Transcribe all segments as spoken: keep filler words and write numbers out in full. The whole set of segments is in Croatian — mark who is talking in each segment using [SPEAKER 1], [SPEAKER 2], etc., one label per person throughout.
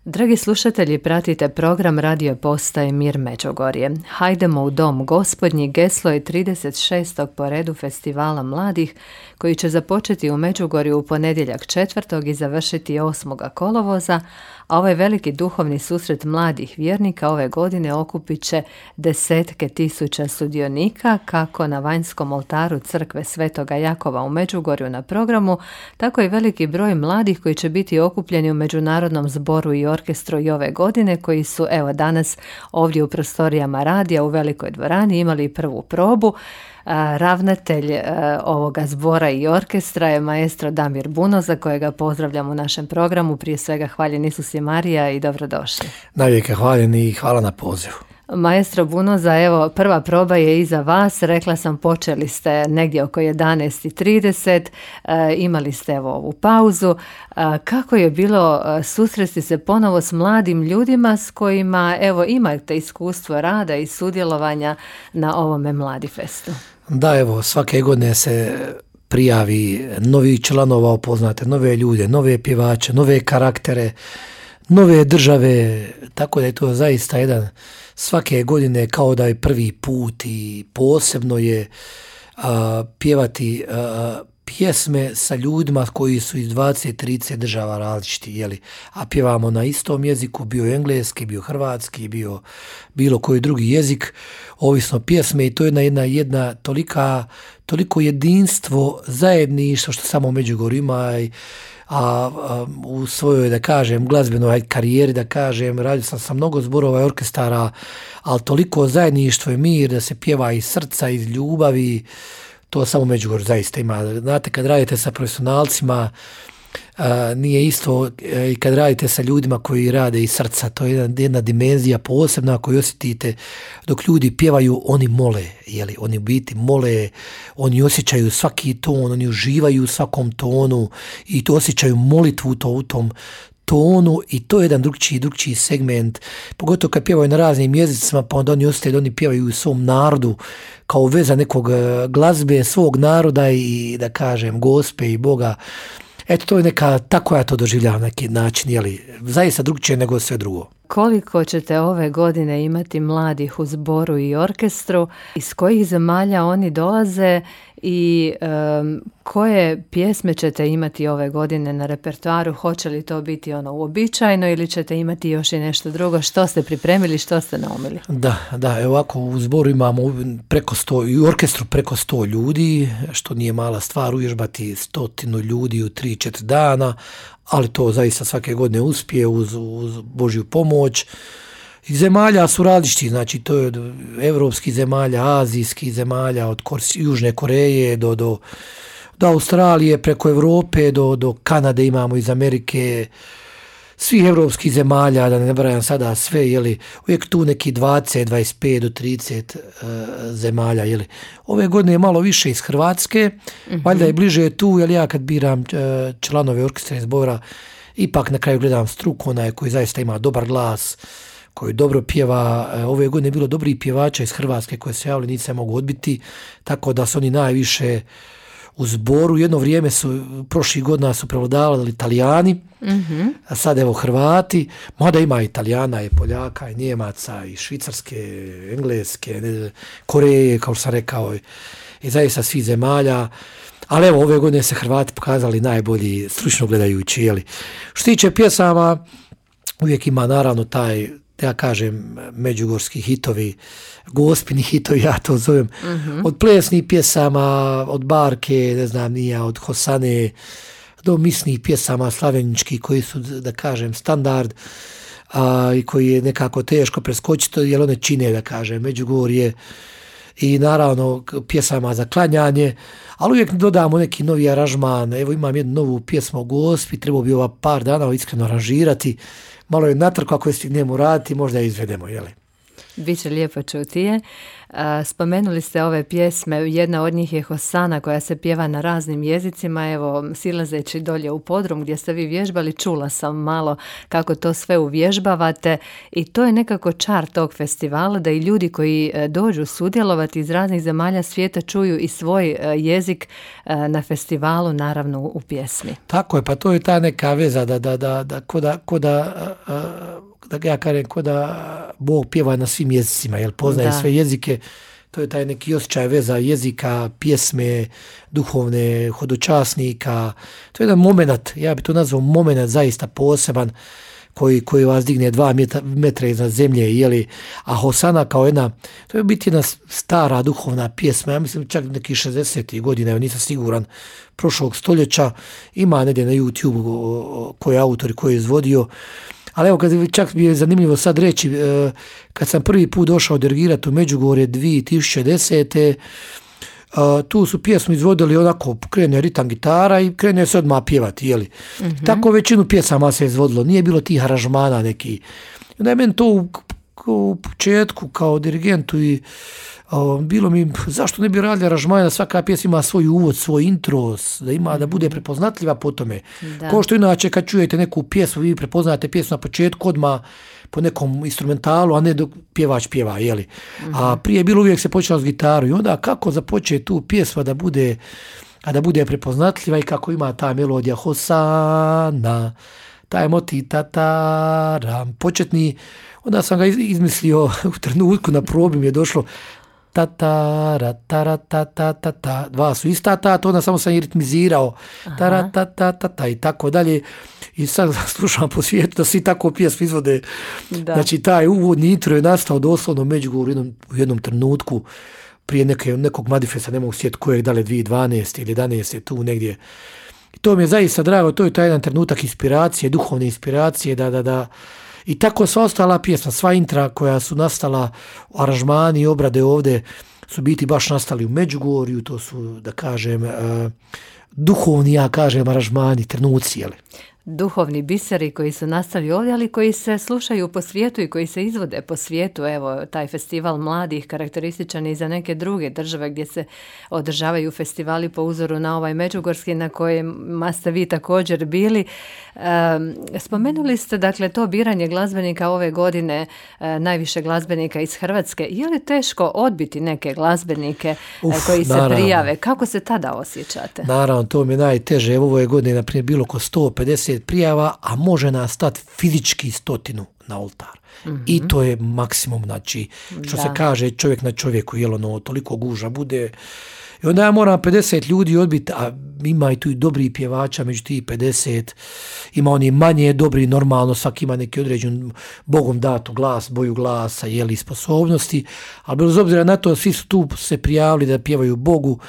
[SPEAKER 1] Dragi slušatelji, pratite program radio postaje Mir Međugorje. Hajdemo u dom gospodnji geslo je trideset šestog po redu festivala mladih koji će započeti u Međugorju u ponedjeljak četvrtog i završiti osmog kolovoza, a ovaj veliki duhovni susret mladih vjernika ove godine okupit će desetke tisuća sudionika kako na vanjskom oltaru crkve Svetoga Jakova u Međugorju na programu, tako i veliki broj mladih koji će biti okupljeni u Međunarodnom zboru i orkestru i ove godine, koji su evo danas ovdje u prostorijama radija u velikoj dvorani imali prvu probu. A, ravnatelj a, ovoga zbora i orkestra je maestro Damir Buno, za kojega pozdravljam u našem programu. Prije svega hvaljen Isus i Marija i dobrodošli.
[SPEAKER 2] Navijek je hvaljen i hvala na pozivu.
[SPEAKER 1] Maestro Bunoza, evo prva proba je iza vas, rekla sam počeli ste negdje oko jedanaest i trideset, e, imali ste evo ovu pauzu. E, kako je bilo susresti se ponovo s mladim ljudima s kojima evo imate iskustvo rada i sudjelovanja na ovome Mladi festu?
[SPEAKER 2] Da, evo svake godine se prijavi novi članova, upoznate nove ljude, nove pjevače, nove karaktere, nove države, tako da je to zaista jedan svake godine kao da je prvi put i posebno je a, pjevati a, pjesme sa ljudima koji su iz dvadeset trideset država različiti, jeli? A pjevamo na istom jeziku, bio engleski, bio hrvatski, bio bilo koji drugi jezik, ovisno pjesme, i to je jedna, jedna, jedna tolika, toliko jedinstvo, zajedništvo što samo u Međugorju ima. I, A, a u svojoj, da kažem, glazbenoj karijeri, da kažem, radio sam sa mnogo zborova i orkestara, ali toliko zajedništvo i mir da se pjeva iz srca, iz ljubavi, to samo Međugorju zaista ima. Znate, kad radite sa profesionalcima, a, nije isto i kad radite sa ljudima koji rade iz srca, to je jedna, jedna dimenzija posebna koju osjetite. Dok ljudi pjevaju, oni mole, jeli, oni u biti mole, oni osjećaju svaki ton, oni uživaju u svakom tonu i to osjećaju molitvu to u tom tonu, i to je jedan drugčiji, drugčiji segment, pogotovo kad pjevaju na raznim jezicima, pa onda oni ostaju da oni pjevaju u svom narodu kao veza nekog glazbe, svog naroda i, da kažem, Gospe i Boga. Eto, to je neka, tako ja to doživljavam na neki način, jeli, zaista drugčije nego sve drugo.
[SPEAKER 1] Koliko ćete ove godine imati mladih u zboru i orkestru, iz kojih zemalja oni dolaze i um, koje pjesme ćete imati ove godine na repertoaru? Hoće li to biti ono uobičajeno ili ćete imati još i nešto drugo? Što ste pripremili, što ste naumili?
[SPEAKER 2] Da, da, evo ovako u zboru imamo preko sto, i u orkestru preko sto ljudi, što nije mala stvar, uvježbati stotinu ljudi u tri četiri dana, ali to zaista svake godine uspije uz, uz Božju pomoć. I zemalja su različiti, znači to je od evropskih zemalja, azijskih zemalja, od Kors, Južne Koreje do, do, do Australije, preko Evrope do, do Kanade imamo, iz Amerike, svih evropskih zemalja, da ne nabrajam sada sve, jeli, uvijek tu neki dvadeset, dvadeset pet do trideset uh, zemalja, jeli. Ove godine je malo više iz Hrvatske, mm-hmm. valjda je bliže tu, jer ja kad biram uh, članove orkestra i zbora, ipak na kraju gledam struku, onaj koji zaista ima dobar glas, koji dobro pjeva. Ove godine je bilo dobrih pjevača iz Hrvatske koje se javili, nisu se mogu odbiti, tako da su oni najviše u zboru. Jedno vrijeme su, prošlih godina su prevladavali Italijani, mm-hmm. a sad evo Hrvati, mada ima Italijana i Poljaka i Njemaca i Švicarske, Engleske, ne, Koreje, kao što sam rekao, i zaista svih zemalja. Ali evo, ove godine se Hrvati pokazali najbolji, stručno gledajući, jeli. Što tiče pjesama, uvijek ima naravno taj, ja kažem, međugorski hitovi, gospini hitovi, ja to zovem, mm-hmm. od plesnih pjesama, od Barke, ne znam nija, od Hosane, do misnih pjesama slaveničkih koji su, da kažem, standard, a, i koji je nekako teško preskočiti, jer one čine, da kažem, Međugorje, i naravno pjesama za klanjanje, ali uvijek dodamo neki novi aranžman. Evo imam jednu novu pjesmu o Gospi, trebao bi ova par dana iskreno aranžirati, malo je natrko, ako je stignemo raditi, možda je izvedemo, jeli?
[SPEAKER 1] Biće lijepo čuti je. Spomenuli ste ove pjesme, jedna od njih je Hosana koja se pjeva na raznim jezicima, evo silazeći dolje u podrum gdje ste vi vježbali, čula sam malo kako to sve uvježbavate i to je nekako čar tog festivala, da i ljudi koji dođu sudjelovati iz raznih zemalja svijeta čuju i svoj jezik na festivalu, naravno u pjesmi.
[SPEAKER 2] Tako je, pa to je ta neka veza da, da, da, da, ko da, ko da da ja kažem, ko da Bog pjeva na svim jezicima, jer poznaje da. sve jezike, to je taj neki osjećaj veza jezika, pjesme, duhovne, hodočasnika, to je jedan moment, ja bi to nazvao moment zaista poseban, koji, koji vas digne dva metra, metra iznad zemlje, jeli, a Hosana kao jedna, to je biti jedna stara duhovna pjesma, ja mislim čak nekih šezdesetih godina, ja nisam siguran, prošlog stoljeća, ima negdje na YouTube koji je autor i koji je izvodio. Ali evo, kad čak mi je zanimljivo sad reći, kad sam prvi put došao dirigirati u Međugorje dvije tisuće desete. tu su pjesmu izvodili onako, krene ritam gitara i krene se odmah pjevati, jeli. Mm-hmm. Tako većinu pjesama se izvodilo, nije bilo tih aranžmana neki. Onda je meni to u, u početku kao dirigentu i o, bilo mi, zašto ne bi radili aranžmana, svaka pjesma ima svoj uvod, svoj intro, da ima, mm-hmm. da bude prepoznatljiva po tome. Da. Ko što inače kad čujete neku pjesmu, vi prepoznate pjesmu na početku odmah po nekom instrumentalu, a ne dok pjevač pjeva, jeli. Mm-hmm. A prije bilo uvijek se počelo s gitaru i onda kako započeti tu pjesma da bude, a da bude prepoznatljiva i kako ima ta melodija Hosana, taj motiv tataram, početni, onda sam ga izmislio u trenutku na probi mi je došlo tatara, tara, ta, ta, ta, ta, dva su ista ta, to onda samo sam i ritmizirao, tara, ta, ta, ta, ta, i tako dalje. I sad slušam po svijetu da svi tako pjesmu izvode. Da. Znači, taj uvodni intro je nastao doslovno u Međugorju u jednom, u jednom trenutku prije neke, nekog Madifesta, ne mogu sjetiti kojeg, da li dvije tisuće dvanaeste ili jedanaeste tu negdje. I to mi je zaista drago, to je taj jedan trenutak inspiracije, duhovne inspiracije, da, da, da. I tako sva ostala pjesma, sva intra koja su nastala, aranžmani i obrade ovdje su biti baš nastali u Međugorju, to su, da kažem, uh, duhovni, ja kažem, aranžmani, trenuci, jel?
[SPEAKER 1] Duhovni biseri koji su nastali ovdje, ali koji se slušaju po svijetu i koji se izvode po svijetu. Evo, taj festival mladih karakterističan i za neke druge države gdje se održavaju festivali po uzoru na ovaj međugorski na kojima ste vi također bili. Um, spomenuli ste, dakle, to biranje glazbenika ove godine, uh, najviše glazbenika iz Hrvatske. Je li teško odbiti neke glazbenike Uf, koji se naravno. prijave? Kako se tada osjećate?
[SPEAKER 2] Naravno, to mi je najteže. Evo, ove godine, na primjer, bilo oko sto pedeset prijava, a može nas stati fizički stotinu na oltar. Mm-hmm. I to je maksimum, znači, što da. se kaže čovjek na čovjeku, jel ono, toliko guža bude. I onda ja moram pedeset ljudi odbiti, a ima i tu i dobri pjevača, među tih pedeset, ima oni manje dobri, normalno, svaki ima neki određen Bogom datu glas, boju glasa, jeli, sposobnosti, ali bez obzira na to, svi su tu se prijavili da pjevaju Bogu,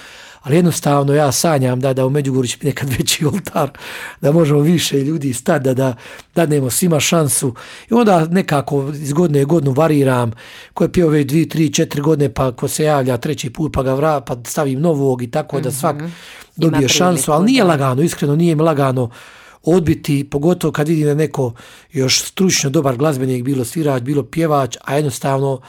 [SPEAKER 2] ali jednostavno ja sanjam da, da u Međugorju će nekad veći oltar, da možemo više ljudi stati, da, da dadnemo svima šansu. I onda nekako iz godine u godinu variram, ko je pio već dvije, tri, četiri godine, pa ko se javlja treći put, pa ga vra, pa stavim novog i tako, mm-hmm. da svak dobije Ima šansu, ali nije lagano, iskreno nije mi lagano odbiti, pogotovo kad vidim da neko još stručno dobar glazbenik, bilo svirač, bilo pjevač, a jednostavno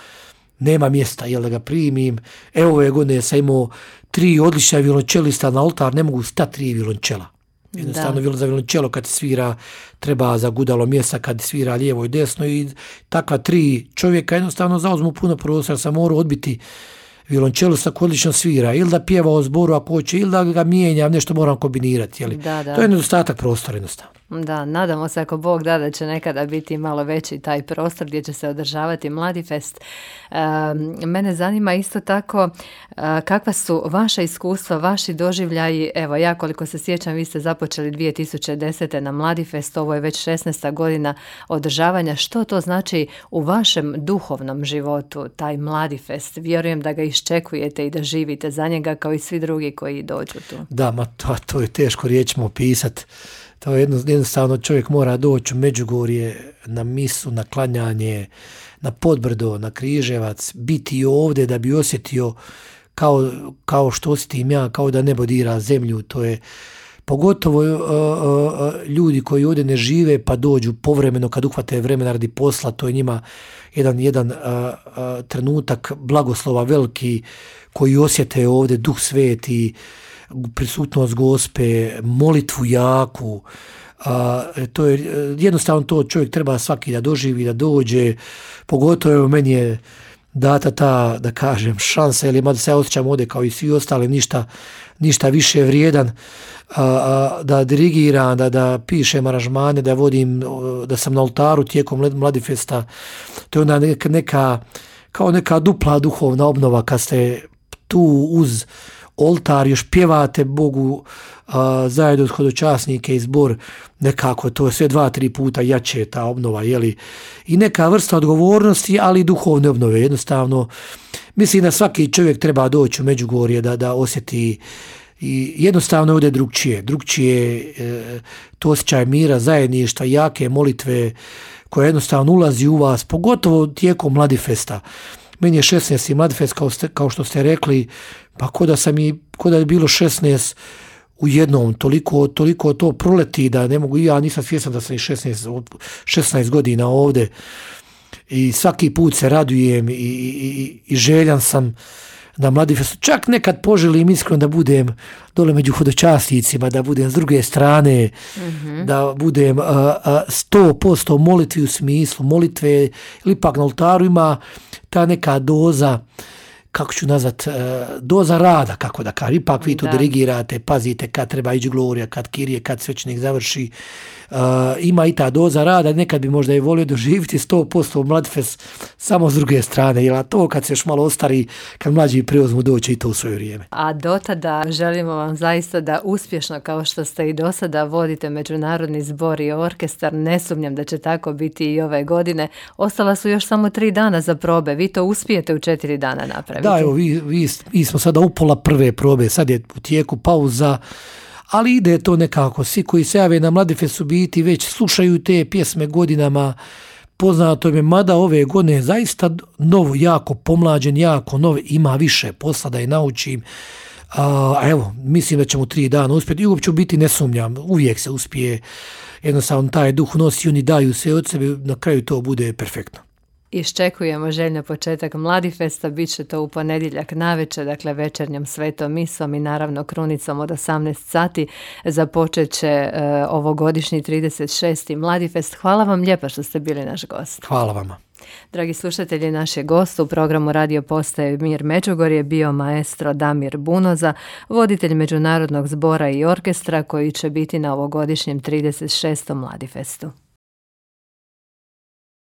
[SPEAKER 2] nema mjesta, jel da ga primim. Evo ove godine sam imao tri odlična violončelista na oltar, ne mogu stati tri violončela. Jednostavno da. za violončelo kad svira treba za gudalo mjesta, kad svira lijevo i desno i takva tri čovjeka jednostavno zauzmu puno prostora, sam morao odbiti violončelista koji odlično svira, ili da pjeva o zboru ako hoće, ili da ga mijenjam, nešto moram kombinirati. Jeli? Da, da. To je nedostatak prostora jednostavno.
[SPEAKER 1] Da, nadamo se ako Bog da da će nekada biti malo veći taj prostor gdje će se održavati Mladifest. E, mene zanima isto tako e, kakva su vaša iskustva, vaši doživljaji. Evo, ja koliko se sjećam, vi ste započeli dvije tisuće desete na Mladifest, ovo je već šesnaesta godina održavanja. Što to znači u vašem duhovnom životu, taj Mladifest? Vjerujem da ga iščekujete i da živite za njega kao i svi drugi koji dođu tu.
[SPEAKER 2] Da, ma to, to je teško riječima opisati. To je jednostavno, čovjek mora doći u Međugorje na misu, na klanjanje, na Podbrdo, na Križevac, biti ovdje da bi osjetio kao, kao što osjetim ja, kao da nebo dira zemlju. To je pogotovo uh, uh, ljudi koji ovdje ne žive pa dođu povremeno kad uhvate vremena radi posla, to je njima jedan, jedan uh, uh, trenutak blagoslova veliki koji osjete ovdje Duh Sveti, prisutnost Gospe, molitvu jaku. A, to je jednostavno to čovjek treba svaki da doživi, da dođe, pogotovo evo, meni je data ta, da kažem, šansa, ili mada se ja osjećam ovdje kao i svi ostali, ništa, ništa više vrijedan, a, a, da dirigiram, da, da pišem aranžmane, da vodim, da sam na oltaru tijekom Mladifesta. To je onda neka, neka kao neka dupla duhovna obnova kad ste tu uz oltar, još pjevate Bogu a, zajedno od hodočasnike i zbor, nekako to je sve dva, tri puta jače ta obnova, jeli? I neka vrsta odgovornosti, ali i duhovne obnove. Jednostavno, mislim da svaki čovjek treba doći u Međugorje da, da osjeti i jednostavno ovdje drugčije. Drugčije e, to osjećaj mira, zajedništva, jake molitve koja jednostavno ulazi u vas, pogotovo tijekom Mladifesta. Meni je šesnaesti Mladifest, kao, ste, kao što ste rekli, pa ko da sam i, ko da je bilo šesnaest u jednom, toliko, toliko to proleti da ne mogu, ja nisam svjestan da sam i šesnaest, šesnaest godina ovdje i svaki put se radujem i, i, i željan sam na Mladifestu. Čak nekad poželim iskreno da budem dole među hodočasnicima, da budem s druge strane, mm-hmm. da budem sto posto molitvi u smislu molitve, ili ipak na oltaru ima ta neka doza, kako ću nazvat, doza rada, kako da kažem, ipak vi to da. dirigirate, pazite kad treba ići glorija, kad kirije, kad svećenik završi, uh, ima i ta doza rada, nekad bi možda i volio doživjeti sto posto Mladifest samo s druge strane, jer to kad se još malo ostari, kad mlađi preuzmu doći i to u svoje vrijeme.
[SPEAKER 1] A do tada želimo vam zaista da uspješno, kao što ste i do sada, vodite Međunarodni zbor i orkestar, ne sumnjam da će tako biti i ove godine. Ostala su još samo tri dana za probe, vi to uspijete u četiri dana napraviti.
[SPEAKER 2] Da, evo, vi, vi, vi smo sada upola prve probe, sad je u tijeku pauza, ali ide to nekako. Svi koji se jave na Mladifestu biti već slušaju te pjesme godinama, poznato je, mada ove godine zaista novo, jako pomlađen, jako novo, ima više posla da je naučim. A, evo, mislim da ćemo tri dana uspjeti i uopće biti ne sumnjam, uvijek se uspije, jednostavno taj duh nosi, oni daju sve od sebe, na kraju to bude perfektno.
[SPEAKER 1] Iščekujemo željno početak Mladifesta, bit će to u ponedjeljak navečer, dakle večernjom svetom misom i naravno krunicom od osamnaest sati. Započet će e, ovogodišnji trideset šesti Mladifest. Hvala vam lijepa što ste bili naš gost.
[SPEAKER 2] Hvala vama.
[SPEAKER 1] Dragi slušatelji, naš je gost u programu Radio Postaje Mir Međugorje bio maestro Damir Bunoza, voditelj Međunarodnog zbora i orkestra koji će biti na ovogodišnjem trideset šestom Mladifestu.